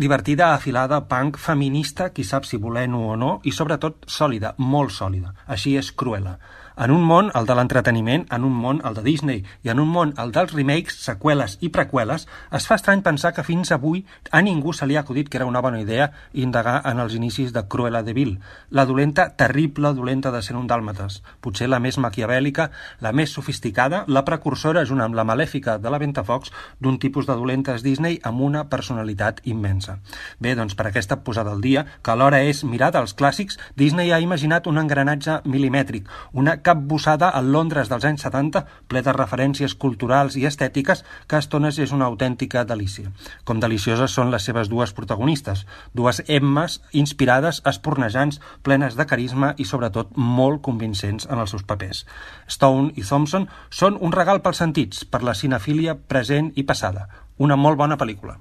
Divertida, afilada, punk, feminista, qui sap si volent-ho o no, i sobretot sòlida, molt sòlida. Així és Cruella. En un món, el de l'entreteniment, en un món, el de Disney, i en un món, el dels remakes, seqüeles i preqüeles, es fa estrany pensar que fins avui a ningú se li ha acudit que era una bona idea indagar en els inicis de Cruella de Vil, la dolenta, terrible dolenta de 101 dàlmates, potser la més maquiavèlica, la més sofisticada, la precursora, junt amb la malèfica de la Ventafocs, d'un tipus de dolentes Disney amb una personalitat immensa. Bé, doncs per aquesta posada al dia, que alhora és mirar dels clàssics, Disney ha imaginat un engranatge milimètric, una capbussada al Londres dels anys 70, ple de referències culturals i estètiques que a estones és una autèntica delícia. Com delicioses són les seves dues protagonistes, dues Emmes inspirades, espornejants, plenes de carisma i sobretot molt convincents en els seus papers. Stone i Thompson són un regal pels sentits, per la cinefília present i passada. Una molt bona pel·lícula.